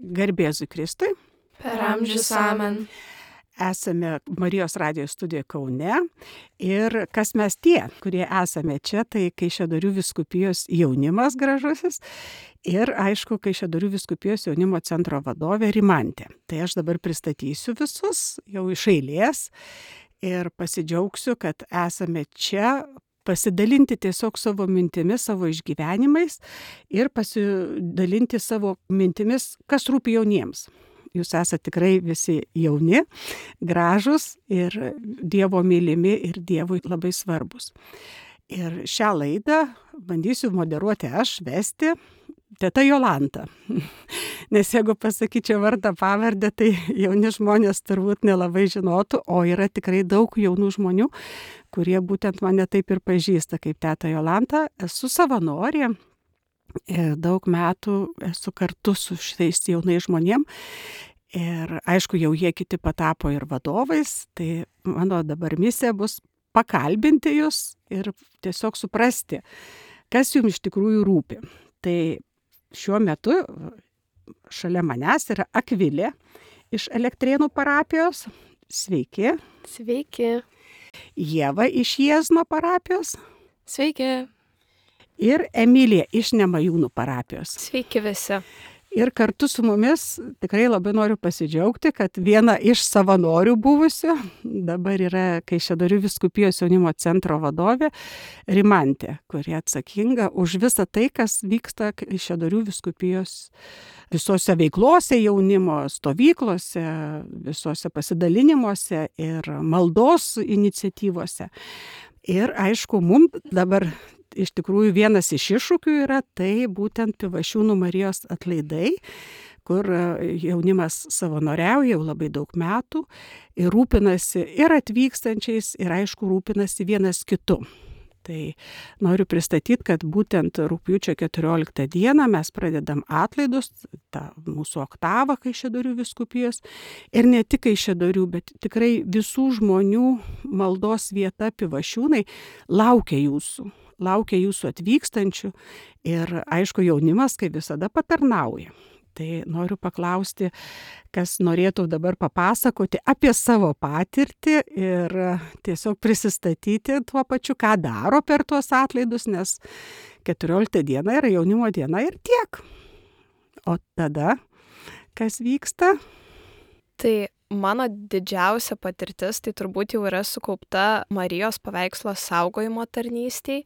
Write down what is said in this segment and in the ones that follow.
Garbė Jėzui Kristui. Per amžius amen. Esame Marijos radijo studijoje Kaune ir kas mes tie, kurie esame čia, tai Kaišiadorių vyskupijos jaunimas gražusis ir aišku Kaišiadorių vyskupijos jaunimo centro vadovė Rimantė. Tai aš dabar pristatysiu visus jau iš eilės ir pasidžiaugsiu, kad esame čia pasidalinti tiesiog savo mintimis, savo išgyvenimais ir pasidalinti savo mintimis, kas rūpi jauniems. Jūs esate tikrai visi jauni, gražus ir Dievo mylimi ir Dievui labai svarbus. Ir šią laidą bandysiu moderuoti aš, vesti, teta Jolanta. Nes jeigu pasakyčiau vardą pavardę, tai jauni žmonės turbūt nelabai žinotų, o yra tikrai daug jaunų žmonių, kurie būtent mane taip ir pažįsta kaip teta Jolanta. Esu savanorė. Daug metų esu kartu su šitais jaunais žmonėmis ir aišku, jau jie kiti patapo ir vadovais, tai mano dabar misija bus pakalbinti jūs ir tiesiog suprasti, kas jums iš tikrųjų rūpi. Tai šiuo metu šalia manęs yra Akvilė iš Elektrėnų parapijos. Sveiki. Sveiki. Ieva iš Jiezno parapijos. Sveiki. Ir Emilija iš Nemajūnų parapijos. Sveiki visi. Ir kartu su mumis tikrai labai noriu pasidžiaugti, kad viena iš savanorių buvusių dabar yra Kaišiadorių vyskupijos jaunimo centro vadovė Rimantė, kuri atsakinga už visą tai, kas vyksta Kaišiadorių vyskupijos visose veiklose jaunimo, stovyklose, visose pasidalinimuose ir maldos iniciatyvose. Ir aišku, mums dabar iš tikrųjų vienas iš iššūkių yra tai būtent Pivašiūnų Marijos atlaidai, kur jaunimas savanoriauja jau labai daug metų ir rūpinasi ir atvykstančiais ir aišku rūpinasi vienas kitu. Tai noriu pristatyti, kad būtent rugpjūčio 14 dieną mes pradedam atlaidus, tą mūsų oktavą Kaišiadorių vyskupijos ir ne tik Kaišiadorių, bet tikrai visų žmonių maldos vieta Pivašiūnai laukia jūsų atvykstančių ir aišku jaunimas kaip visada patarnauja. Tai noriu paklausti, kas norėtų dabar papasakoti apie savo patirtį ir tiesiog prisistatyti tuo pačiu, ką daro per tuos atlaidus, nes 14 diena yra jaunimo diena ir tiek. O tada, kas vyksta? Tai mano didžiausia patirtis, tai turbūt jau yra sukaupta Marijos paveikslo saugojimo tarnystėj.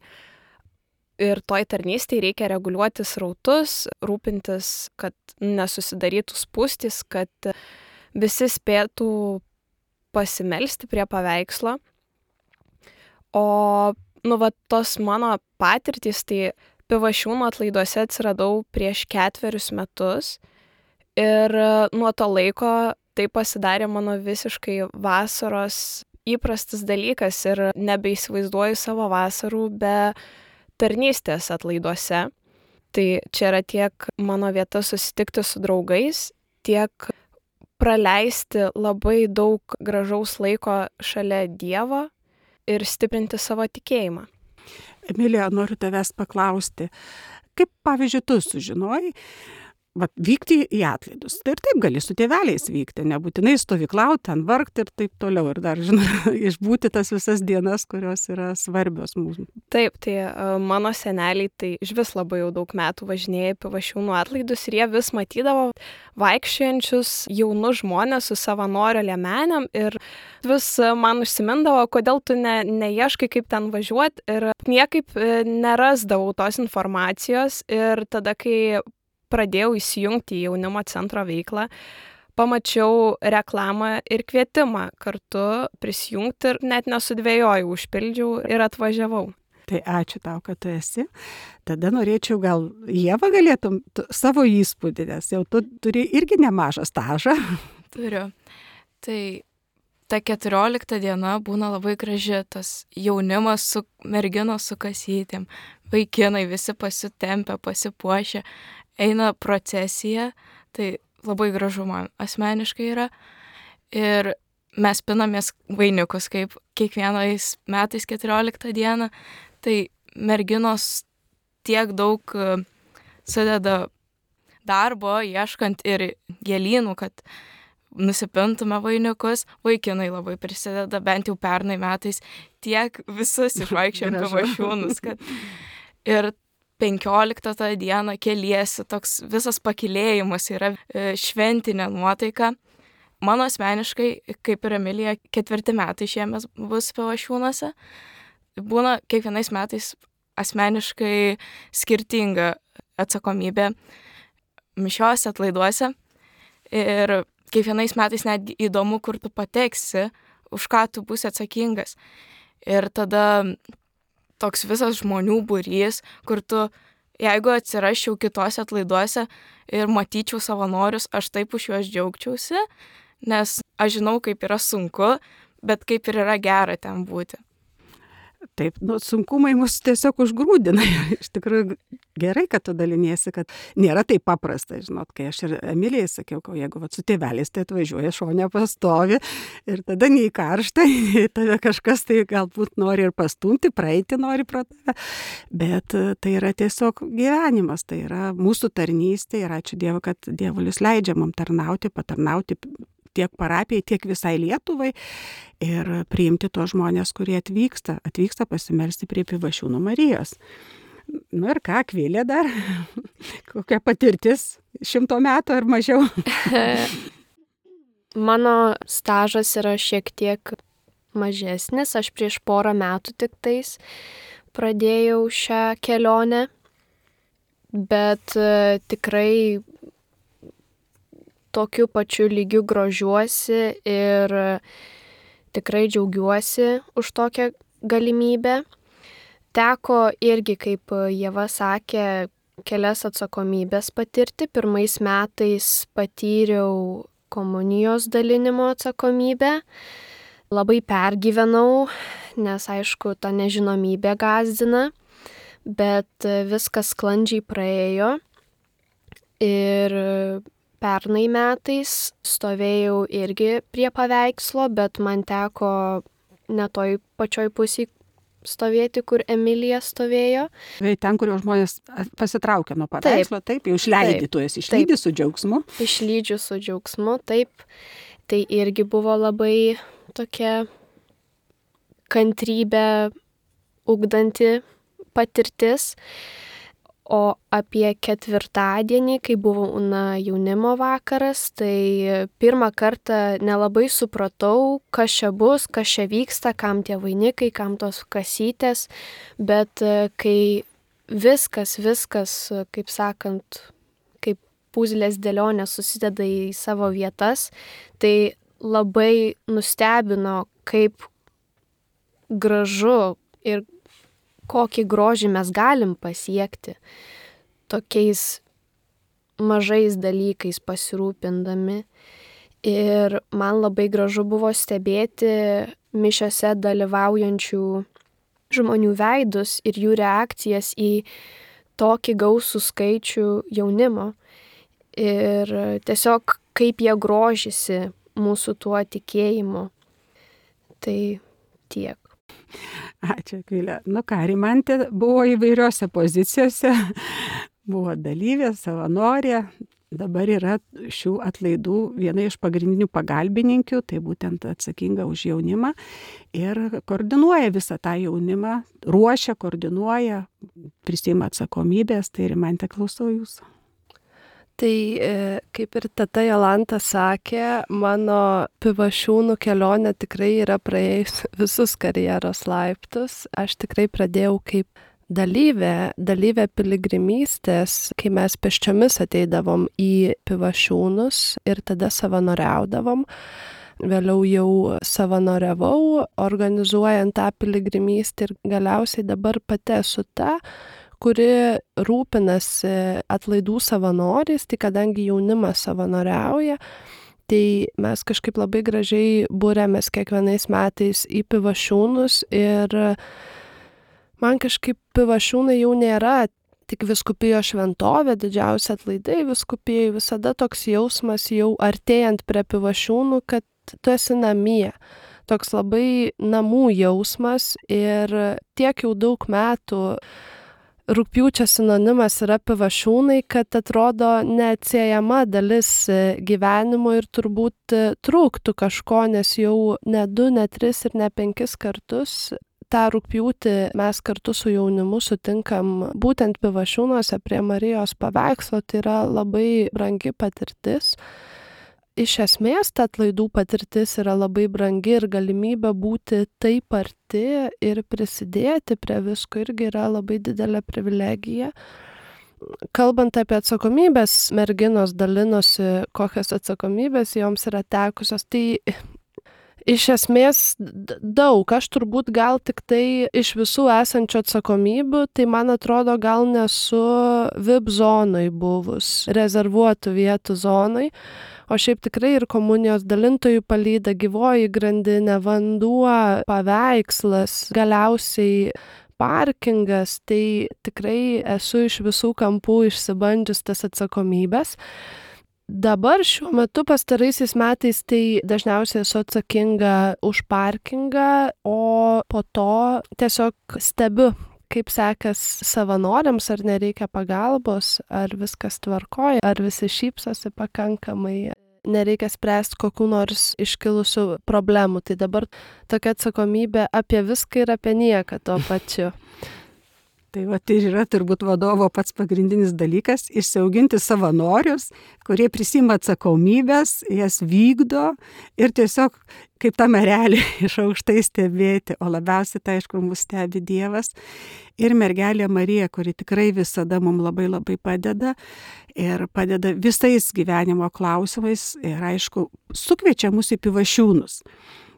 Ir toj tarnystėj reikia reguliuoti srautus, rūpintis, kad nesusidarytų spūstys, kad visi spėtų pasimelsti prie paveikslo. O tos mano patirtys, tai Pivašiūnų atlaiduose atsiradau prieš 4 metus. Ir nuo to laiko tai pasidarė mano visiškai vasaros įprastas dalykas ir nebeįsivaizduoju savo vasarų be tarnystės atlaiduose. Tai čia yra tiek mano vieta susitikti su draugais, tiek praleisti labai daug gražaus laiko šalia Dievo ir stiprinti savo tikėjimą. Emilija, noriu tavęs paklausti, kaip pavyzdžiui tu sužinojai, vykti į atlaidus. Tai ir taip gali su tėveliais vykti, nebūtinai stovyklauti, ten vargti ir taip toliau. Ir dar, išbūti tas visas dienas, kurios yra svarbios mums. Taip, tai mano seneliai tai išvis labai jau daug metų važinėja Pivašiūnų atlaidus ir jie vis matydavo vaikščiojančius jaunus žmonės su savanorio liemenėm ir vis man užsimindavo, kodėl tu neieškai, kaip ten važiuoti ir niekaip nerasdavau tos informacijos ir tada, kai pradėjau įsijungti į jaunimo centro veiklą, pamačiau reklamą ir kvietimą kartu prisijungti ir net nesudvejojau, užpildžiau ir atvažiavau. Tai ačiū tau, kad tu esi. Tada norėčiau gal Ieva galėtum savo įspūdį, nes jau tu turi irgi nemažą stažą. Turiu. Tai ta 14 diena būna labai graži, tas jaunimas su merginos su kasytėm, vaikinai visi pasitempę, pasipuošę. Eina procesija, tai labai gražu man asmeniškai yra. Ir mes pinamės vainikus, kaip kiekvienais metais 14 dieną. Tai merginos tiek daug sudeda darbo, ieškant ir gėlynų, kad nusipintume vainikus. Vaikinai labai prisideda, bent jau pernai metais tiek visus išvaikščiojom Pivašiūnus, kad ir 15 tą dieną keliesi, toks visas pakylėjimas yra šventinė nuotaika. Mano asmeniškai, kaip ir Emilija, 4 metai šiemet bus Pivašiūnuose. Būna kiekvienais metais asmeniškai skirtinga atsakomybė mišiose, atlaiduose. Ir kiekvienais metais netgi įdomu, kur tu pateksi, už ką tu būsi atsakingas. Ir tada toks visas žmonių būrys, kur tu, jeigu atsirasčiau kitose atlaiduose ir matyčiau savanorius, aš taip už juos džiaugčiausi, nes aš žinau, kaip yra sunku, bet kaip ir yra gera ten būti. Taip, sunkumai mus tiesiog užgrūdina. Iš tikrųjų gerai, kad tu daliniesi, kad nėra taip paprasta, žinot, kai aš ir Emilijai sakiau, jeigu su tėveliais tai atvažiuoja šone pastovi ir tada nei karšta, nei tave kažkas tai galbūt nori ir pastumti, praeiti nori pro tave, bet tai yra tiesiog gyvenimas, tai yra mūsų tarnystė ir ačiū Dievui, kad Dievulis leidžia mums tarnauti, patarnauti tiek parapijai, tiek visai Lietuvai ir priimti tuos žmonės, kurie atvyksta pasimelsti prie Pivašiūnų Marijos. Nu ir ką, Akvilė dar? Kokia patirtis 100 metų ar mažiau? Mano stažas yra šiek tiek mažesnis, aš prieš porą metų tik tais pradėjau šią kelionę, bet tikrai tokiu pačiu lygiu grožiuosi ir tikrai džiaugiuosi už tokią galimybę. Teko irgi, kaip Ieva sakė, kelias atsakomybės patirti. Pirmais metais patyriau komunijos dalinimo atsakomybę. Labai pergyvenau, nes aišku, ta nežinomybė gąsdina, bet viskas sklandžiai praėjo ir pernai metais stovėjau irgi prie paveikslo, bet man teko ne toj pačioj pusėj stovėti, kur Emilija stovėjo. Ten, kur jau žmonės pasitraukia nuo paveikslo, taip, jau išleidi, tu esi išlydi su džiaugsmu. Išlydžiu su džiaugsmu, taip. Tai irgi buvo labai tokia kantrybę ugdanti patirtis. O apie ketvirtadienį, kai buvo jaunimo vakaras, tai pirmą kartą nelabai supratau, kas čia bus, kas čia vyksta, kam tie vainikai, kam tos kasytės, bet kai viskas, kaip sakant, kaip puzlės dėlionės susideda į savo vietas, tai labai nustebino, kaip gražu ir kokį grožį mes galim pasiekti tokiais mažais dalykais pasirūpindami. Ir man labai gražu buvo stebėti mišiose dalyvaujančių žmonių veidus ir jų reakcijas į tokį gausų skaičių jaunimo. Ir tiesiog kaip jie grožisi mūsų tuo tikėjimu. Tai tiek. Ačiū, Akvilė. Nu ką, Rimantė buvo įvairiose pozicijose, buvo dalyvė, savanorė, dabar yra šių atlaidų viena iš pagrindinių pagalbininkių, tai būtent atsakinga už jaunimą ir koordinuoja visą tą jaunimą, ruošia, koordinuoja, prisiima atsakomybės, tai Rimantė, klausau jūsų. Tai kaip ir teta Jolanta sakė, mano Pivašiūnų kelionė tikrai yra praėjus visus karjeros laiptus. Aš tikrai pradėjau kaip dalyvė piligrimystės, kai mes pėsčiomis ateidavom į Pivašiūnus ir tada savanoriaudavom. Vėliau jau savanoriavau, organizuojant tą piligrimystę ir galiausiai dabar pati esu ta, kuri rūpinasi atlaidų savanoriais, tai kadangi jaunimas savanoriauja, tai mes kažkaip labai gražiai būrėmės kiekvienais metais į Pivašiūnus ir man kažkaip Pivašiūnai jau nėra tik vyskupijos šventovė, didžiausia atlaidai vyskupijai, visada toks jausmas jau artėjant prie Pivašiūnų, kad tu esi namie. Toks labai namų jausmas ir tiek jau daug metų rugpjūčio sinonimas yra Pivašiūnai, kad atrodo neatsiejama dalis gyvenimo ir turbūt trūktų kažko, nes jau ne 2, ne 3 ir ne 5 kartus tą rugpjūtį mes kartu su jaunimu sutinkam būtent Pivašiūnuose prie Marijos paveikslo, tai yra labai brangi patirtis. Iš esmės, ta atlaidų patirtis yra labai brangi ir galimybė būti taip arti ir prisidėti prie visko irgi yra labai didelė privilegija. Kalbant apie atsakomybės, merginos dalinosi, kokios atsakomybės joms yra tekusios, tai iš esmės daug, aš turbūt gal tik tai iš visų esančių atsakomybių, tai man atrodo gal nesu VIP zonai buvus, rezervuotų vietų zonai, o šiaip tikrai ir komunijos dalintojų palyda, gyvoji grandinė, vanduo, paveikslas, galiausiai parkingas, tai tikrai esu iš visų kampų išsibandžius tas atsakomybės. Dabar šiuo metu pastaraisiais metais tai dažniausiai esu atsakinga už parkingą, o po to tiesiog stebiu, kaip sekas savanoriams, ar nereikia pagalbos, ar viskas tvarkoja, ar visi šypsosi pakankamai, nereikia spręsti kokių nors iškilusių problemų. Tai dabar tokia atsakomybė apie viską ir apie nieką tuo pačiu. Tai va, tai yra turbūt vadovo pats pagrindinis dalykas - išsiauginti savanorius, kurie prisima atsakomybės, jas vykdo ir tiesiog kaip tą merelį iš aukštai stebėti, o labiausiai tai aišku mus stebi Dievas ir mergelė Marija, kuri tikrai visada mums labai labai padeda ir padeda visais gyvenimo klausimais ir aišku sukviečia mus į Pivašiūnus.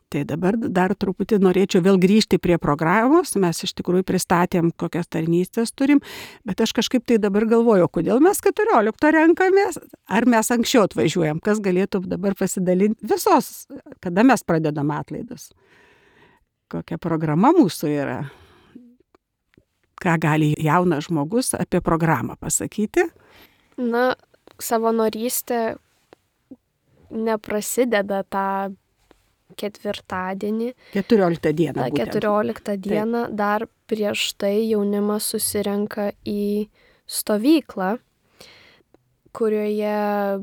Tai dabar dar truputį norėčiau vėl grįžti prie programos, mes iš tikrųjų pristatėm, kokias tarnystės turim, bet aš kažkaip tai dabar galvoju, kodėl mes 14 renkamės, ar mes anksčiau atvažiuojam, kas galėtų dabar pasidalinti visos, kada mes pradedam atlaidus, kokia programa mūsų yra, ką gali jaunas žmogus apie programą pasakyti. Na, savanorystė neprasideda tą ketvirtadienį. 14 dieną. 14 dieną dar prieš tai jaunimas susirenka į stovyklą, kurioje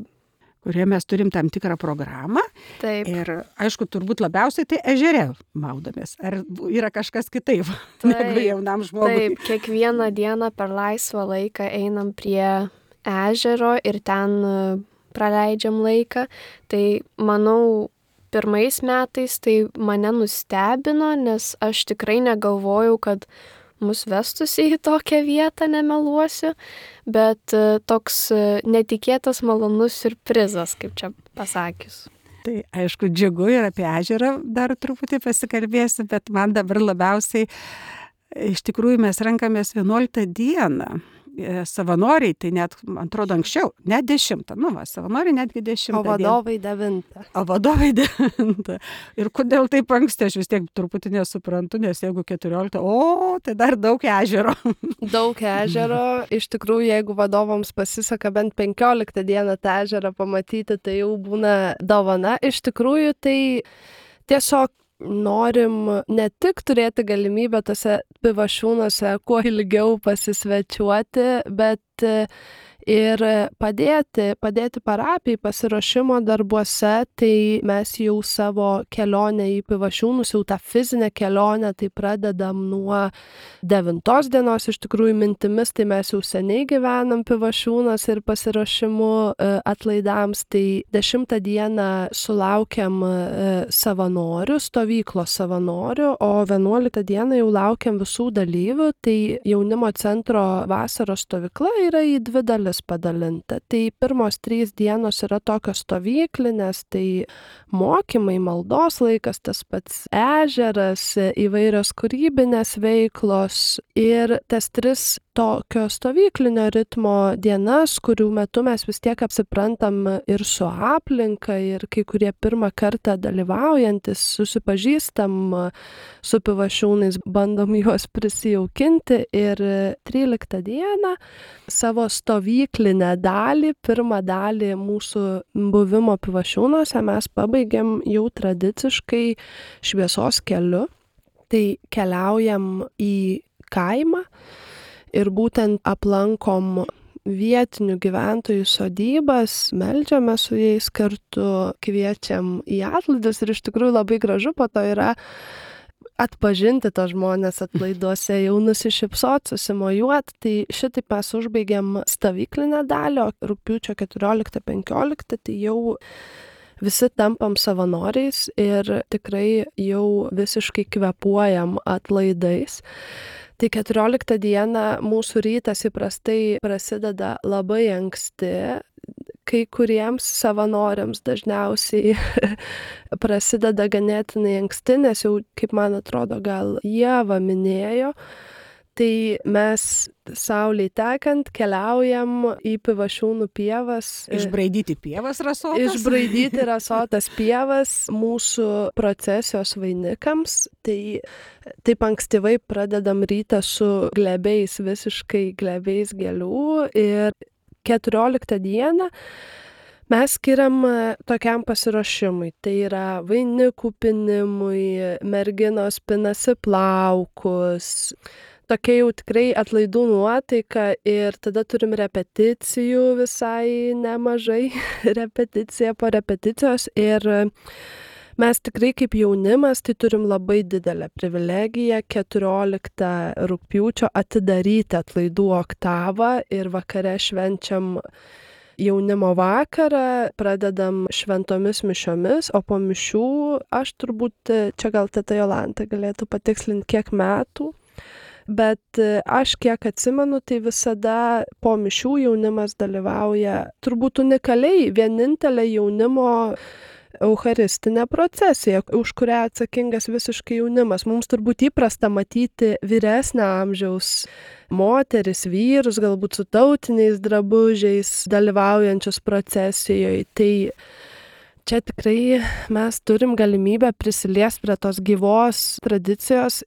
mes turim tam tikrą programą. Taip. Ir aišku, turbūt labiausiai tai ežere maudomės. Ar yra kažkas kitaip negu jaunam žmogui? Taip, kiekvieną dieną per laisvą laiką einam prie ežero ir ten praleidžiam laiką. Tai manau, pirmais metais tai mane nustebino, nes aš tikrai negalvojau, kad mus vestųsi į tokią vietą, nemeluosiu, bet toks netikėtas malonus siurprizas, kaip čia pasakius. Tai aišku, džiugu ir apie ežerą dar truputį pasikalbėsiu, bet man dabar labiausiai, iš tikrųjų mes renkamės 11 dieną. Savanoriai, tai net, man atrodo, anksčiau, net 10, savanoriai netgi 10. O vadovai 9. O vadovai 9. Ir kodėl taip anksti, aš vis tiek truputį nesuprantu, nes jeigu 14, tai dar daug ežero. Daug ežero, iš tikrųjų, jeigu vadovams pasiseka bent 15 dieną tą ežerą pamatyti, tai jau būna dovana. Iš tikrųjų, tai tiesiog norim ne tik turėti galimybę tose Pivašiūnuose kuo ilgiau pasisvečiuoti, bet ir padėti parapijai pasiruošimo darbuose, tai mes jau savo kelionę į Pivašiūnus, jau tą fizinę kelionę, tai pradedam nuo 9 dienos, iš tikrųjų mintimis, tai mes jau seniai gyvenam Pivašiūnuose ir pasiruošimu atlaidams, tai 10 dieną sulaukiam savanorių, stovyklos savanorių, o 11 dieną jau laukiam visų dalyvių, tai jaunimo centro vasaros stovykla yra į 2 dalis padalinta. Tai pirmos 3 dienos yra tokios stovyklinės, tai mokymai, maldos laikas, tas pats ežeras, įvairios kūrybinės veiklos ir tas 3 tokio stovyklinio ritmo dienas, kurių metu mes vis tiek apsiprantam ir su aplinka, ir kai kurie pirmą kartą dalyvaujantis, susipažįstam su Pivašiūnais, bandom juos prisijaukinti ir 13 dieną savo stovyklinę dalį, pirmą dalį mūsų buvimo Pivašiūnuose mes pabaigėm jau tradiciškai šviesos keliu. Tai keliaujam į kaimą ir būtent aplankom vietinių gyventojų sodybas, meldžiame su jais kartu, kviečiam į atlaidus ir iš tikrųjų labai gražu po to yra atpažinti tos žmonės atlaiduose, jau nusišypsot, susimojuot. Tai šitaip mes užbaigiam stovyklinę dalį, o rugpjūčio 14-15 tai jau visi tampam savanoriais ir tikrai jau visiškai kvėpuojam atlaidais. Tai 14 dieną mūsų rytas įprastai prasideda labai anksti. Kai kuriems savanoriams dažniausiai prasideda ganėtinai anksti, nes jau, kaip man atrodo, gal Ieva minėjo, tai mes saulei tekant keliaujam į Pivašiūnų pievas. Išbraidyti pievas rasotas. Išbraidyti rasotas pievas mūsų procesijos vainikams. Tai taip ankstyvai pradedam rytą su glebiais, visiškai glebiais gėlių ir 14 dieną mes skiriam tokiam pasiruošimui. Tai yra vainikų pinimui, merginos pinasi plaukus, tokia jau tikrai atlaidų nuotaika ir tada turim repeticijų visai nemažai, repeticija po repeticijos ir mes tikrai kaip jaunimas tai turim labai didelę privilegiją 14 rugpjūčio atidaryti atlaidų oktavą ir vakare švenčiam jaunimo vakarą, pradedam šventomis mišiomis, o po mišių aš turbūt, čia gal teta Jolanta galėtų patikslinti kiek metų, bet aš kiek atsimenu, tai visada po mišių jaunimas dalyvauja turbūt unikaliai vienintelė jaunimo eucharistinė procesija, už kurią atsakingas visiškai jaunimas. Mums turbūt įprasta matyti vyresnio amžiaus moteris, vyrus, galbūt su tautiniais drabužiais dalyvaujančius procesijoje. Tai čia tikrai mes turim galimybę prisiliesti prie tos gyvos tradicijos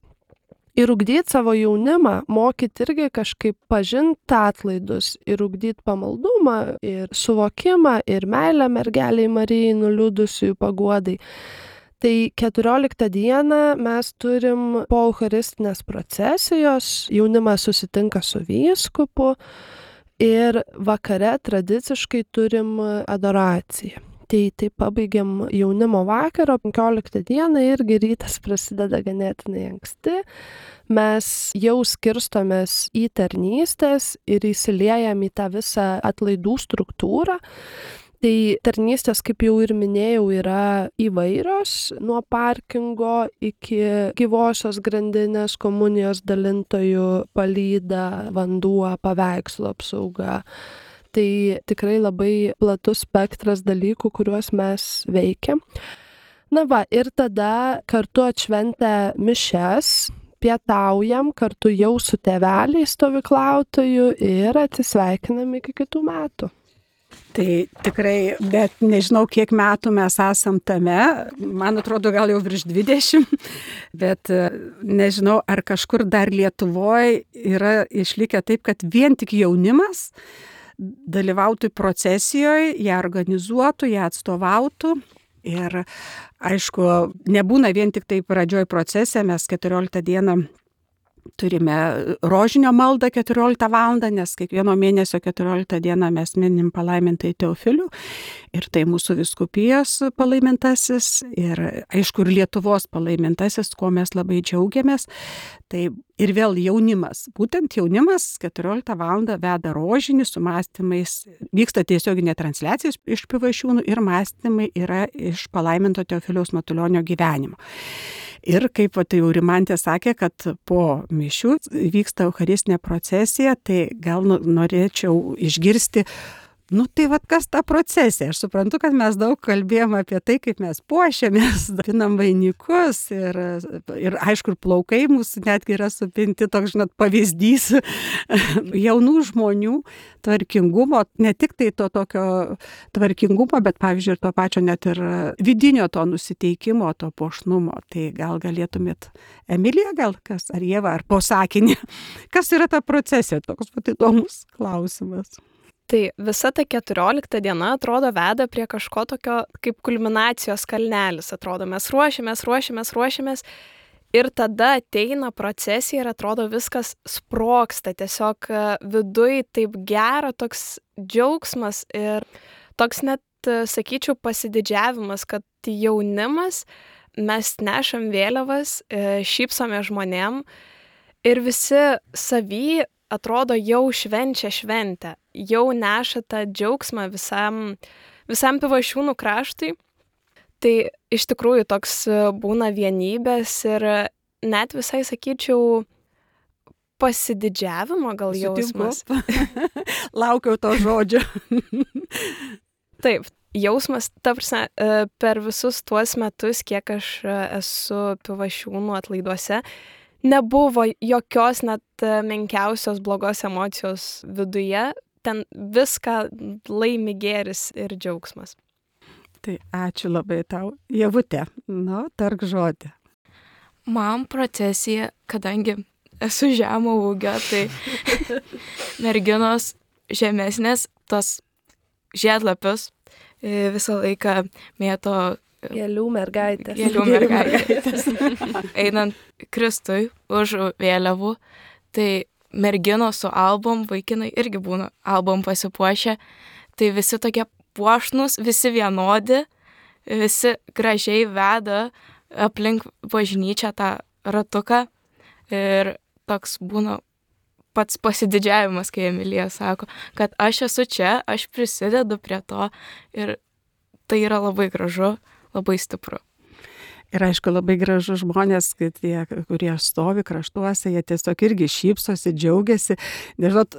ir ugdyti savo jaunimą, mokyti irgi kažkaip pažinti atlaidus ir ugdyti pamaldumą ir suvokimą ir meilę mergeliai Marijai nuliūdusiųjų paguodai. Tai 14 dieną mes turim po eucharistinės procesijos, jaunimas susitinka su vyskupu ir vakare tradiciškai turim adoraciją. Tai pabaigiam jaunimo vakarą, 15 dieną irgi rytas prasideda ganėtinai anksti. Mes jau skirstomės į tarnystės ir įsiliejam į tą visą atlaidų struktūrą. Tai tarnystės, kaip jau ir minėjau, yra įvairios, nuo parkingo iki gyvosios grandinės, komunijos dalintojų, palyda, vanduo, paveikslo apsauga. Tai tikrai labai platus spektras dalykų, kuriuos mes veikiam. Na va, ir tada kartu atšventę mišias, pietaujam kartu jau su tėveliais stovyklautojų ir atsisveikinam iki kitų metų. Tai tikrai, bet nežinau, kiek metų mes esam tame, man atrodo gal jau virš 20, bet nežinau, ar kažkur dar Lietuvoje yra išlikę taip, kad vien tik jaunimas dalyvautų procesijoje, ją organizuotų, ją atstovautų. Ir aišku, nebūna vien tik tai pradžioj procese, mes 14 dieną turime rožinio maldą 14 valandą, nes kiekvieno mėnesio 14 dieną mes minim palaimintai Teofilių ir tai mūsų vyskupijos palaimintasis ir aišku ir Lietuvos palaimintasis, kuo mes labai džiaugiamės. Tai ir vėl jaunimas, būtent jaunimas 14 valandą veda rožinį su mąstymais, vyksta tiesioginė transliacija iš Pivašiūnų ir mąstymai yra iš palaiminto Teofiliaus Matulionio gyvenimo. Ir kaip tai jau Rimantė sakė, kad po mišių vyksta eucharistinė procesija, tai gal norėčiau išgirsti, tai kas ta procesija? Aš suprantu, kad mes daug kalbėjom apie tai, kaip mes puošiamės, pinam vainikus ir aišku, ir plaukai mūsų netgi yra supinti, toks, pavyzdys jaunų žmonių tvarkingumo, ne tik tai to tokio tvarkingumo, bet pavyzdžiui ir to pačio net ir vidinio to nusiteikimo, to puošnumo. Tai gal galėtumėt, Emilija, gal kas, ar Ieva, ar po sakinį, kas yra ta procesija, toks pat įdomus klausimas. Tai visa ta 14 diena atrodo veda prie kažko tokio kaip kulminacijos kalnelis, atrodo, mes ruošiamės Ir tada ateina procesija ir atrodo viskas sprogsta, tiesiog viduj taip gera, toks džiaugsmas ir toks net, sakyčiau, pasididžiavimas, kad jaunimas, mes nešam vėliavas, šypsome žmonėm ir visi savy atrodo jau švenčia šventę, jau neša tą džiaugsmą visam Pivašiūnų kraštui. Tai iš tikrųjų toks būna vienybės ir net visai, sakyčiau, pasididžiavimo gal jausmas. Laukiau to žodžio. Taip, jausmas, ta prasme, per visus tuos metus, kiek aš esu Pivašiūnų atlaiduose, nebuvo jokios net menkiausios blogos emocijos viduje, ten viską laimi gėris ir džiaugsmas. Tai ačiū labai tau. Ievute, tark žodį. Man procesija, kadangi esu žemo ūgio, tai merginos žemesnės, tos žiedlapius visą laiką mėto Gėlių mergaitės. Einant Kristui už vėliavų, tai merginos su albom, vaikinai irgi būna albom pasipuošę, tai visi tokie puošnus, visi vienodi, visi gražiai veda aplink bažnyčią tą ratuką ir toks būna pats pasididžiavimas, kai Emilija sako, kad aš esu čia, aš prisidedu prie to ir tai yra labai gražu, labai stipru. Ir aišku, labai gražu žmonės, kad tie, kurie stovi kraštuose, jie tiesiog irgi šypsosi, džiaugiasi. Nežinot,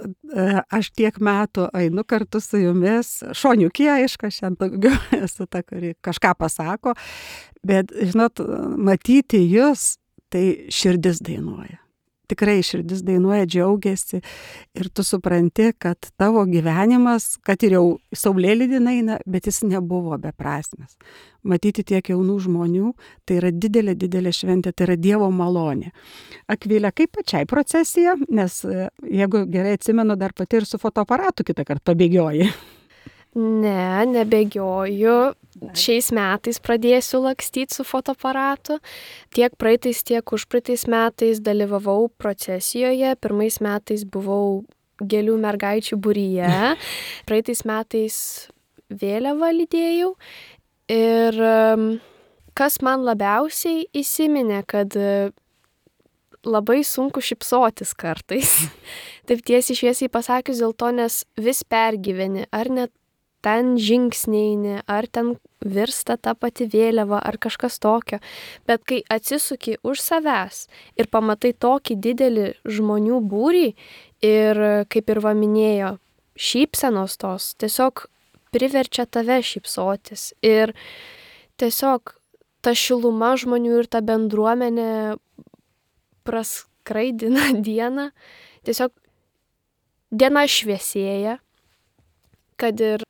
aš tiek metų einu kartu su jumis, šoniukė, aišku, šiandien daugiau esu ta, kuri kažką pasako, bet, žinot, matyti jūs, tai širdis dainuoja. Tikrai širdis dainuoja, džiaugiasi ir tu supranti, kad tavo gyvenimas, kad ir jau saulėlydį eina, bet jis nebuvo beprasmis. Matyti tiek jaunų žmonių, tai yra didelė, didelė šventė, tai yra Dievo malonė. Akvilė, kaip pačiai procesija, nes jeigu gerai atsimenu, dar pati ir su fotoaparatu kitą kartą pabėgioji. Ne, nebėgioju. Šiais metais pradėsiu lakstyti su fotoaparatu. Tiek praeitais, tiek užpraeitais metais dalyvavau procesijoje. Pirmais metais buvau gėlių mergaičių būryje. Praeitais metais vėliavą lydėjau. Ir kas man labiausiai įsiminė, kad labai sunku šypsotis kartais. Taip tiesiai šviesiai pasakius dėl to, nes vis pergyveni, ar net ten žingsneini, ar ten virsta ta pati vėliava, ar kažkas tokio. Bet kai atsisuki už savęs ir pamatai tokį didelį žmonių būrį ir, kaip ir va minėjo, šypsenos tos, tiesiog priverčia tave šypsotis. Ir tiesiog ta šiluma žmonių ir ta bendruomenė praskraidina dieną. Tiesiog diena šviesėja, kad ir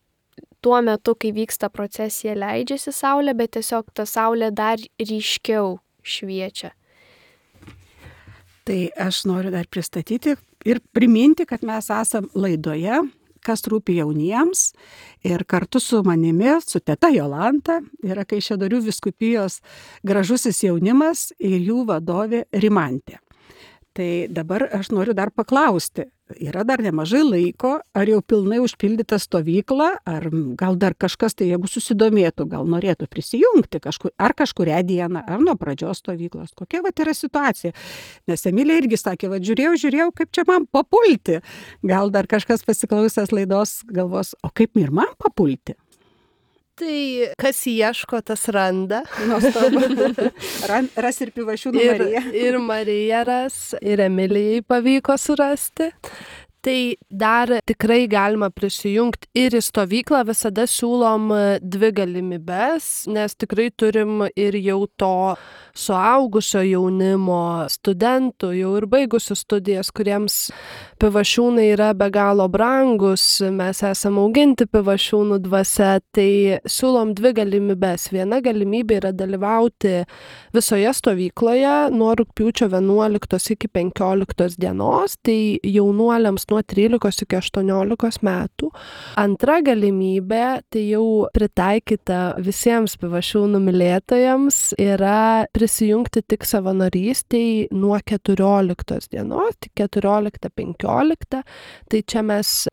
tuo metu, kai vyksta procesija, leidžiasi saulė, bet tiesiog ta saulė dar ryškiau šviečia. Tai aš noriu dar pristatyti ir priminti, kad mes esam laidoje, kas rūpi jauniems, ir kartu su manimi, su teta Jolanta, yra Kaišiadorių vyskupijos gražusis jaunimas ir jų vadovė Rimantė. Tai dabar aš noriu dar paklausti, yra dar nemažai laiko, ar jau pilnai užpildyta stovykla, ar gal dar kažkas, tai jeigu susidomėtų, gal norėtų prisijungti ar kažkurią dieną, ar nuo pradžios stovyklos. Kokia yra situacija? Nes Emilija irgi sakė, žiūrėjau, kaip čia man papulti. Gal dar kažkas pasiklausęs laidos galvos, o kaip ir man papulti? Tai kas ieško, tas randa. Ras ir Pivašiūnų Marija. Ir Marija ras, ir Emilijai pavyko surasti. Tai dar tikrai galima prisijungti ir į stovyklą, visada siūlom 2 galimybes, nes tikrai turim ir jau to suaugusio jaunimo studentų, jau ir baigusių studijas, kuriems Pivašiūnai yra be galo brangus, mes esame auginti Pivašiūnų dvasia, tai siūlom 2 galimybes. Viena galimybė yra dalyvauti visoje stovykloje nuo rugpjūčio 11 iki 15 dienos, tai jaunuoliams nuo 13 iki 18 metų. Antra galimybė, tai jau pritaikyta visiems Pivašiūnų mylėtojams, yra prisijungti tik savanorystei nuo 14 dienos, tik 14-15. Tai čia mes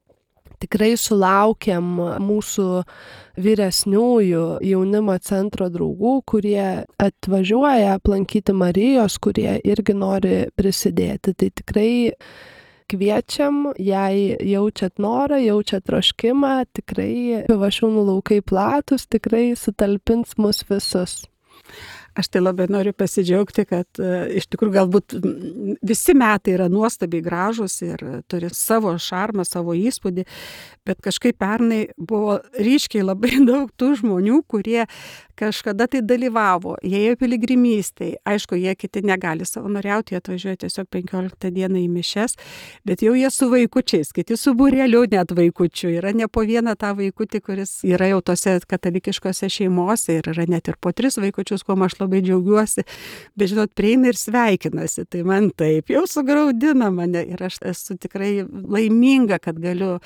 tikrai sulaukiam mūsų vyresniųjų jaunimo centro draugų, kurie atvažiuoja aplankyti Marijos, kurie irgi nori prisidėti. Tai tikrai kviečiam, jei jaučiat norą, jaučiat troškimą, tikrai Pivašiūnų laukai platus, tikrai sutalpins mus visus. Aš tai labai noriu pasidžiaugti, kad iš tikrųjų galbūt visi metai yra nuostabiai gražus ir turi savo šarmą, savo įspūdį, bet kažkaip pernai buvo ryškiai labai daug tų žmonių, kurie kažkada tai dalyvavo, jie ėjo piligrimystėj. Aišku, jie kiti negali savanoriauti, jie atvažiuoja tiesiog 15 dieną į mišias, bet jau jie su vaikučiais, kiti su būreliu net vaikučių. Yra ne po vieną tą vaikutį, kuris yra jau tose katalikiškose šeimose ir yra net ir po 3 vaikučius, kuo aš labai džiaugiuosi. Bet žinot, prieina ir sveikinasi, tai man taip jau sugraudina mane ir aš esu tikrai laiminga, kad galiu.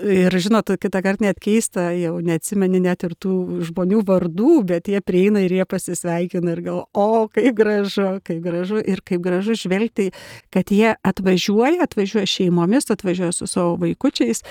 Ir žinot, kitą kartą net keista, jau neatsimeni net ir tų žmonių vardų, bet jie prieina ir jie pasisveikina ir gal, kaip gražu ir kaip gražu žvelgti, kad jie atvažiuoja šeimomis, atvažiuoja su savo vaikučiais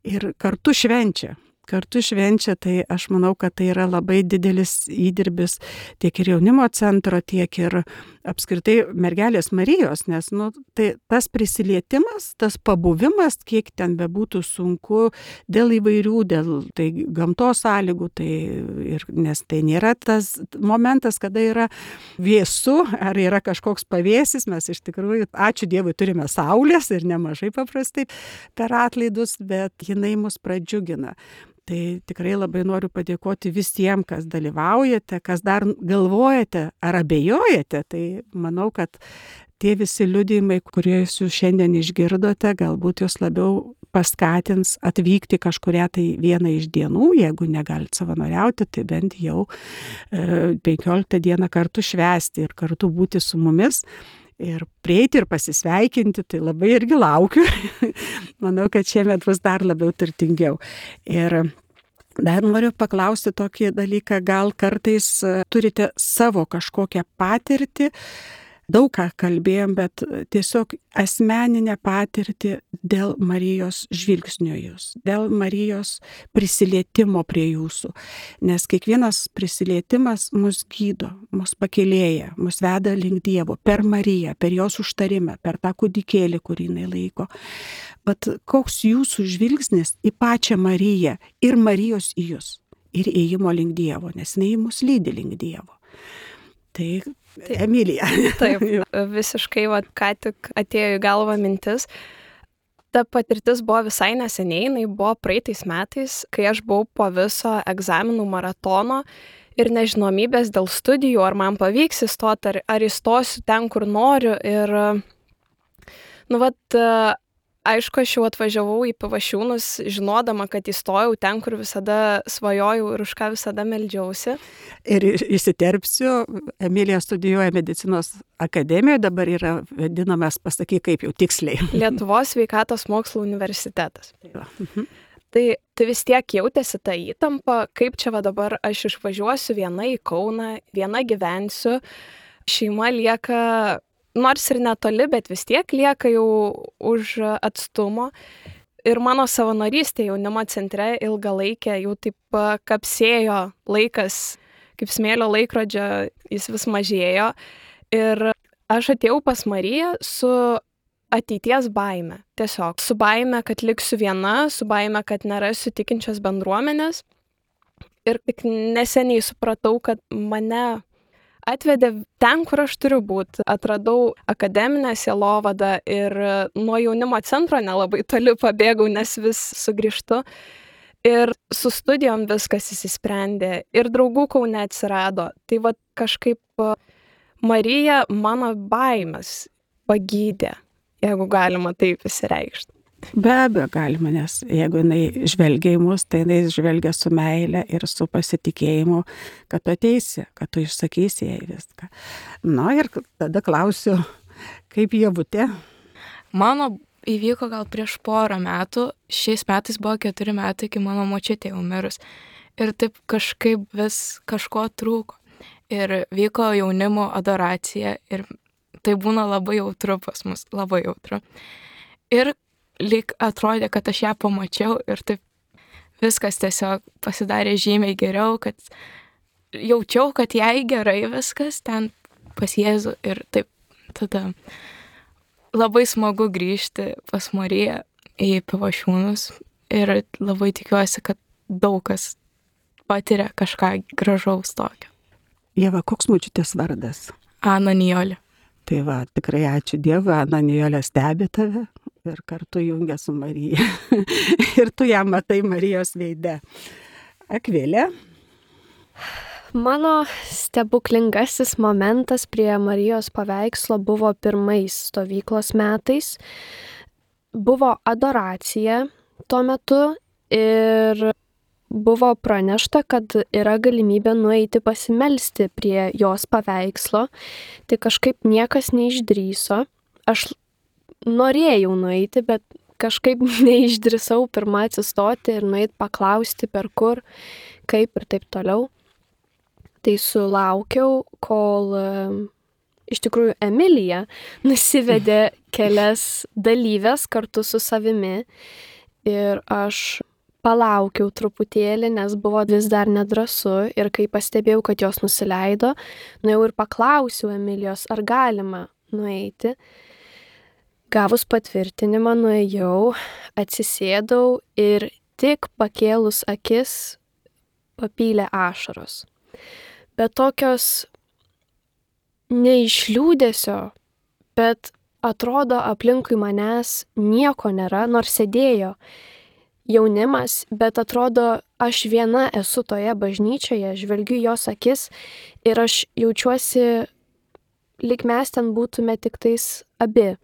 ir kartu švenčia. Tai aš manau, kad tai yra labai didelis įdirbis tiek ir jaunimo centro, tiek ir apskritai mergelės Marijos, nes tai tas prisilietimas, tas pabuvimas, kiek ten bebūtų sunku dėl įvairių, dėl tai gamtos sąlygų, nes tai nėra tas momentas, kada yra vėsu ar yra kažkoks pavėsis, mes iš tikrųjų, ačiū Dievui, turime saulės ir nemažai paprastai per atlaidus, bet jinai mus pradžiugina. Tai tikrai labai noriu padėkoti visiems, kas dalyvaujate, kas dar galvojate ar abejojate. Tai manau, kad tie visi liudijimai, kuriuos jūs šiandien išgirdote, galbūt jūs labiau paskatins atvykti kažkurią tai vieną iš dienų, jeigu negalit savanoriauti, tai bent jau 15 dieną kartu švęsti ir kartu būti su mumis. Ir prieiti ir pasisveikinti, tai labai irgi laukiu. Manau, kad šiemet bus dar labiau turtingiau. Ir dar noriu paklausti tokį dalyką, gal kartais turite savo kažkokią patirtį, daug ką kalbėjom, bet tiesiog asmeninę patirtį dėl Marijos žvilgsnio jūs, dėl Marijos prisilietimo prie jūsų. Nes kiekvienas prisilietimas mus gydo, mus pakėlėja, mus veda link Dievo per Mariją, per jos užtarimą, per tą kūdikėlį, kurį jinai laiko. Bet koks jūsų žvilgsnis į pačią Mariją ir Marijos į jūs ir ėjimo link Dievo, nes jinai mus lydi link Dievo. Tai Emilija. Taip, visiškai ką tik atėjo į galvą mintis. Ta patirtis buvo visai neseniai, jinai buvo praeitais metais, kai aš buvau po viso egzaminų maratono ir nežinomybės dėl studijų, ar man pavyks įstoti, ar įstosiu ten, kur noriu. Ir, aišku, aš jau atvažiavau į Pivašiūnus, žinodama, kad įstojau ten, kur visada svajojau ir už ką visada meldžiausi. Ir įsiterpsiu, Emilija studijuoja medicinos akademijoje, dabar yra vadinamas, pasakyk kaip jau tiksliai. Lietuvos sveikatos mokslų universitetas. Tai vis tiek jautėsi ta įtampa, kaip čia dabar aš išvažiuosiu viena į Kauną, viena gyvensiu, šeima lieka nors ir netoli, bet vis tiek lieka jau už atstumo. Ir mano savanorystė jaunimo centre ilgalaikė jau taip kapsėjo laikas, kaip smėlio laikrodžio, jis vis mažėjo. Ir aš atėjau pas Mariją su ateities baime. Tiesiog su baime, kad liksiu viena, su baime, kad nerasiu tikinčios bendruomenės. Ir tik neseniai supratau, kad mane atvedė ten, kur aš turiu būti. Atradau akademinę sielovadą ir nuo jaunimo centro nelabai toli pabėgau, nes vis sugrįžtu. Ir su studijom viskas įsisprendė ir draugų Kaune atsirado. Tai kažkaip Marija mano baimes pagydė, jeigu galima taip įsireikšti. Be abejo galima, nes jeigu jinai žvelgia į mus, tai jinai žvelgia su meile ir su pasitikėjimu, kad tu ateisi, kad tu išsakysi jai viską. Ir tada klausiu, kaip Ievutė? Mano įvyko gal prieš porą metų. Šiais metais buvo 4 metai, kai mano močiutė jau mirus. Ir taip kažkaip vis kažko trūko. Ir vyko jaunimo adoracija ir tai būna labai jautru pas mus, labai jautru. Ir lyg atrodė, kad aš ją pamačiau ir taip viskas tiesiog pasidarė žymiai geriau, kad jaučiau, kad jai gerai viskas ten pas Jėzų ir taip tada labai smagu grįžti pas Mariją į Pivašiūnus ir labai tikiuosi, kad daug kas patiria kažką gražaus tokio. Ieva, koks močiutės vardas? Ana Nijolė. Tai va, tikrai ačiū Dievui, Ana Nijolė stebi tave ir kartu jungia su Marija. Ir tu ją matai Marijos veide. Akvilė? Mano stebuklingasis momentas prie Marijos paveikslo buvo pirmais stovyklos metais. Buvo adoracija tuo metu ir buvo pranešta, kad yra galimybė nueiti pasimelsti prie jos paveikslo. Tai kažkaip niekas neišdrįso. Aš norėjau nueiti, bet kažkaip neišdrįsau pirmą atsistoti ir nueiti paklausti per kur, kaip ir taip toliau. Tai sulaukiau, kol iš tikrųjų Emilija nusivedė kelias dalyves kartu su savimi ir aš palaukiau truputėlį, nes buvo vis dar nedrąsu ir kai pastebėjau, kad jos nusileido, nuėjau ir paklausiau Emilijos, ar galima nueiti. Gavus patvirtinimą nuėjau, atsisėdau ir tik pakėlus akis papylė ašaros. Bet tokios ne iš liūdesio, bet atrodo aplinkui manęs nieko nėra, nors sėdėjo jaunimas, bet atrodo aš viena esu toje bažnyčioje, žvelgiu jos akis ir aš jaučiuosi, lyg mes ten būtume tik tais abi.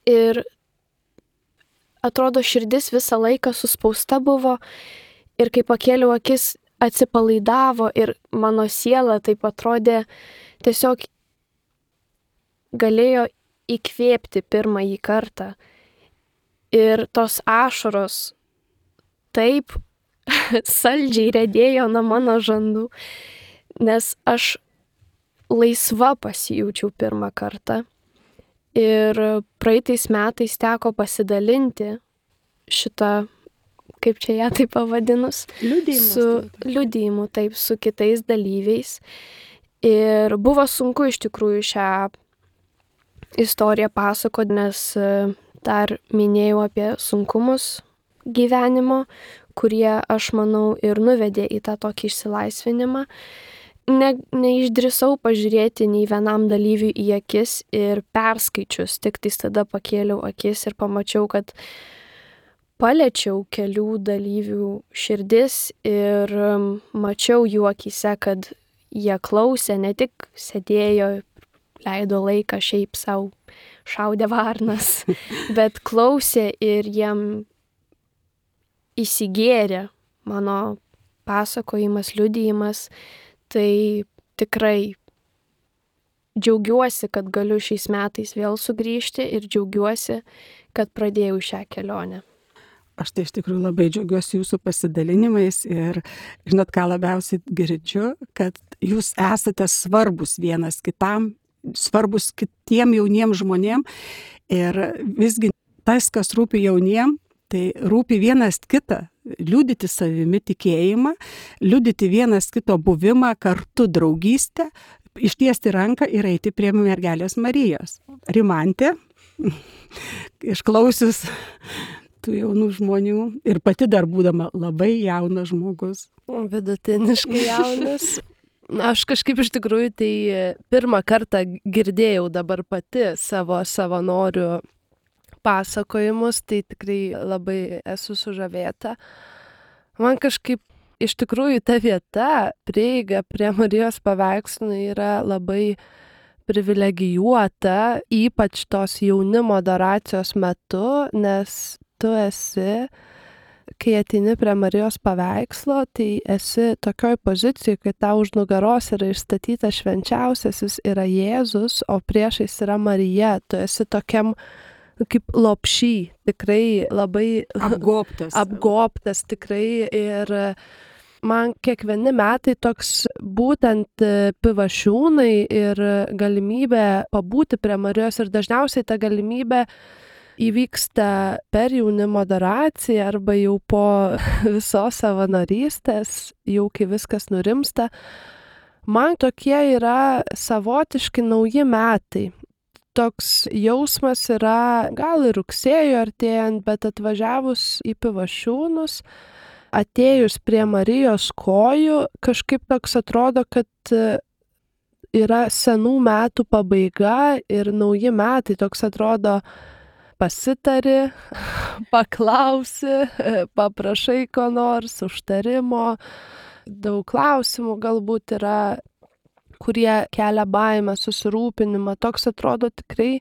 Ir atrodo širdis visą laiką suspausta buvo ir kai pakėliau akis, atsipalaidavo ir mano siela taip atrodė tiesiog galėjo įkvėpti pirmąjį kartą. Ir tos ašaros taip saldžiai riedėjo nuo mano žandų, nes aš laisva pasijaučiau pirmą kartą. Ir praeitais metais teko pasidalinti šitą, kaip čia ją taip pavadinus, su liudijimu, taip, su kitais dalyviais. Ir buvo sunku iš tikrųjų šią istoriją pasakoti, nes dar minėjau apie sunkumus gyvenimo, kurie, aš manau, ir nuvedė į tą tokį išsilaisvinimą. Neišdrįsau pažiūrėti nei vienam dalyviui į akis ir perskaičius, tik tais tada pakėliau akis ir pamačiau, kad paliečiau kelių dalyvių širdis ir mačiau jų akyse, kad jie klausė, ne tik sėdėjo, leido laiką šiaip savo, šaudė varnas, bet klausė ir jiem įsigėrė mano pasakojimas, liudijimas. Tai tikrai džiaugiuosi, kad galiu šiais metais vėl sugrįžti ir džiaugiuosi, kad pradėjau šią kelionę. Aš tai iš tikrųjų labai džiaugiuosi jūsų pasidalinimais ir žinot, ką labiausiai girdžiu, kad jūs esate svarbus vienas kitam, svarbus kitiem jauniem žmonėm ir visgi tas, kas rūpi jauniem, tai rūpi vienas kitą, liudyti savimi tikėjimą, liudyti vienas kito buvimą, kartu draugystę, ištiesti ranką ir eiti prie mergelės Marijos. Rimantė, išklausius tų jaunų žmonių ir pati dar būdama labai jaunas žmogus. Vidutiniškai jaunas. Aš kažkaip iš tikrųjų tai pirmą kartą girdėjau dabar pati savo savanorių pasakojimus, tai tikrai labai esu sužavėta. Man kažkaip iš tikrųjų ta vieta, prieiga prie Marijos paveikslų yra labai privilegijuota, ypač tos jaunimo adoracijos metu, nes tu esi, kai ateini prie Marijos paveikslo, tai esi tokioj pozicijoj, kai tau už nugaros yra išstatytas švenčiausiasis yra Jėzus, o priešais yra Marija. Tu esi tokiam kaip lopšy, tikrai labai apgobtas tikrai ir man kiekvieni metai toks būtent Pivašiūnai ir galimybė pabūti prie Marijos ir dažniausiai ta galimybė įvyksta per jaunimo adoraciją arba jau po visos savanorystės, jau kai viskas nurimsta. Man tokie yra savotiški nauji metai. Toks jausmas yra gal ir rugsėjo artėjant, bet atvažiavus į Pivašiūnus, atėjus prie Marijos kojų, kažkaip toks atrodo, kad yra senų metų pabaiga ir nauji metai. Toks atrodo, pasitari, paklausi, paprašai ko nors, užtarimo. Daug klausimų galbūt yra, kurie kelia baimę, susirūpinimą. Toks atrodo tikrai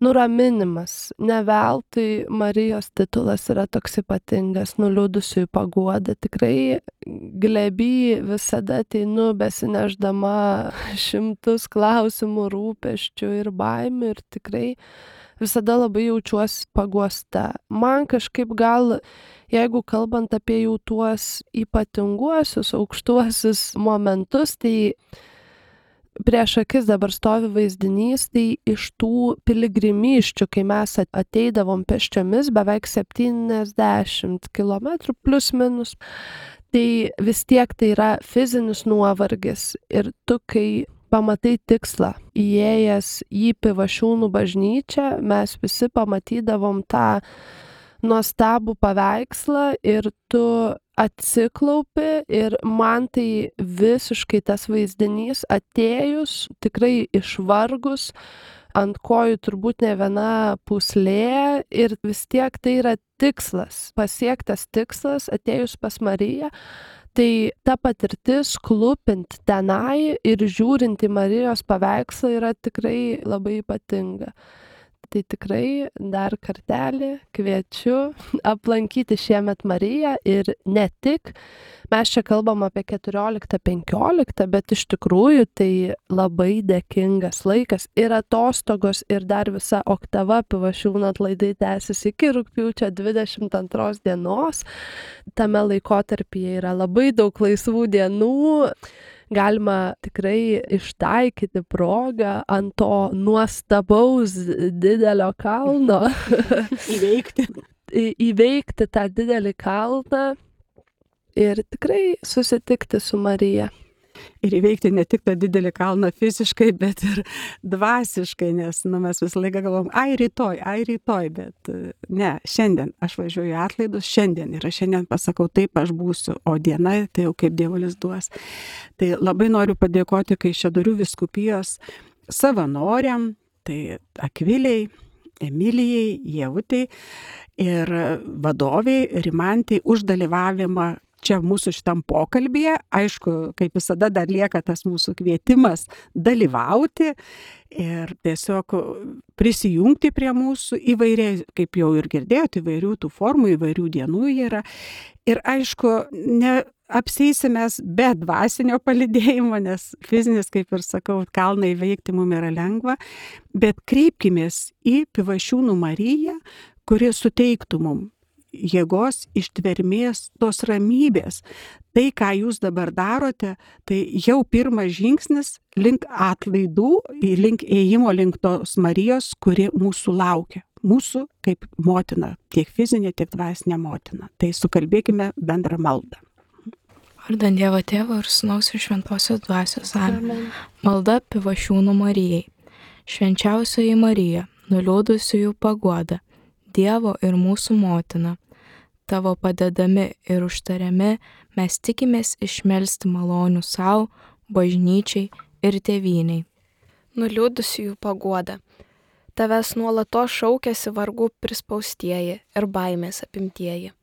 nuraminimas. Ne veltui Marijos titulas yra toks ypatingas, nuliūdusiųjų paguoda. Tikrai glėby visada ateinu besineždama šimtus klausimų, rūpesčių ir baimių ir tikrai visada labai jaučiuosi paguosta. Man kažkaip gal, jeigu kalbant apie jau tuos ypatinguosius, aukštuosius momentus, tai prieš akis dabar stovi vaizdinys, tai iš tų piligrimysčių, kai mes ateidavom pėsčiomis beveik 70 kilometrų plus minus, tai vis tiek tai yra fizinis nuovargis. Ir tu, kai pamatai tikslą, įėjęs į Pivašiūnų bažnyčią, mes visi pamatydavom tą nuostabų paveikslą ir tu atsiklaupi ir man tai visiškai tas vaizdinys atėjus, tikrai išvargus, ant kojų turbūt ne viena pūslė ir vis tiek tai yra tikslas, pasiektas tikslas atėjus pas Mariją. Tai ta patirtis klūpint tenai ir žiūrint į Marijos paveikslą yra tikrai labai ypatinga. Tai tikrai dar kartelį kviečiu aplankyti šiemet Mariją ir ne tik. Mes čia kalbam apie 14-15, bet iš tikrųjų tai labai dėkingas laikas ir atostogos ir dar visa oktava Pivašiūnų atlaidai tęsis iki rugpjūčio 22 dienos. Tame laikotarpyje yra labai daug laisvų dienų. Galima tikrai ištaikyti progą ant to nuostabaus didelio kalno. Įveikti tą didelį kalną ir tikrai susitikti su Marija. Ir įveikti ne tik tą didelį kalną fiziškai, bet ir dvasiškai, nes mes visą laiką galvom, ai rytoj, bet ne, šiandien aš važiuoju į atlaidus, šiandien ir aš šiandien pasakau, taip aš būsiu, o diena tai jau kaip Dievulis duos. Tai labai noriu padėkoti Kaišiadorių vyskupijos savanoriam, tai Akvilei, Emilijai, Ievutei ir vadoviai Rimantai už dalyvavimą čia mūsų šitam pokalbyje. Aišku, kaip visada dar lieka tas mūsų kvietimas dalyvauti ir tiesiog prisijungti prie mūsų įvairiai, kaip jau ir girdėjote, įvairių tų formų, įvairių dienų yra. Ir aišku, neapseisimės be dvasinio palydėjimo, nes fizinis, kaip ir sakau, kalną įveikti mums yra lengva, bet kreipkimės į Pivašiūnų Mariją, kuri suteiktų mums jėgos, ištvermės, tos ramybės. Tai, ką jūs dabar darote, tai jau pirmas žingsnis link atlaidų, link ėjimo link tos Marijos, kuri mūsų laukia. Mūsų kaip motina, tiek fizinė, tiek dvasinė motina. Tai sukalbėkime bendrą maldą. Vardant Dievo Tėvo ir Sūnaus ir Šventosios Dvasios. Amen. Malda Pivašiūnų Marijai. Švenčiausioji Marija, nuliūdusiųjų paguoda, Dievo ir mūsų motina. Tavo padedami ir užtariami mes tikimės išmelsti malonių savo, bažnyčiai ir tėvynei. Nuliūdusiųjų paguoda. Tavęs nuolatos šaukiasi vargų prispaustieji ir baimės apimtieji.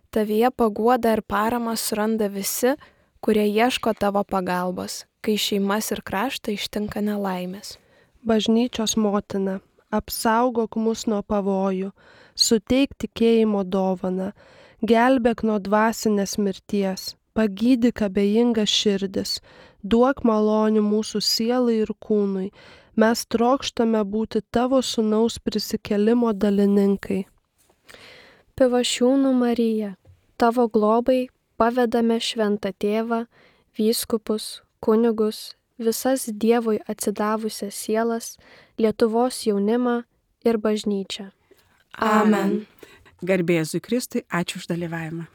Tavyje paguoda ir paramą suranda visi, kurie ieško tavo pagalbos, kai šeimas ir kraštą ištinka nelaimės. Bažnyčios motina, apsaugok mus nuo pavojų, suteik tikėjimo dovaną, gelbėk nuo dvasinės mirties, pagydyk abejingas širdis, duok malonių mūsų sielai ir kūnui, Mes trokštame būti tavo sūnaus prisikėlimo dalininkai. Pivašiūnų Marija, tavo globai pavedame šventą tėvą, vyskupus, kunigus, visas Dievui atsidavusias sielas, Lietuvos jaunimą ir bažnyčią. Amen. Garbė Jėzui Kristui, ačiū už dalyvavimą.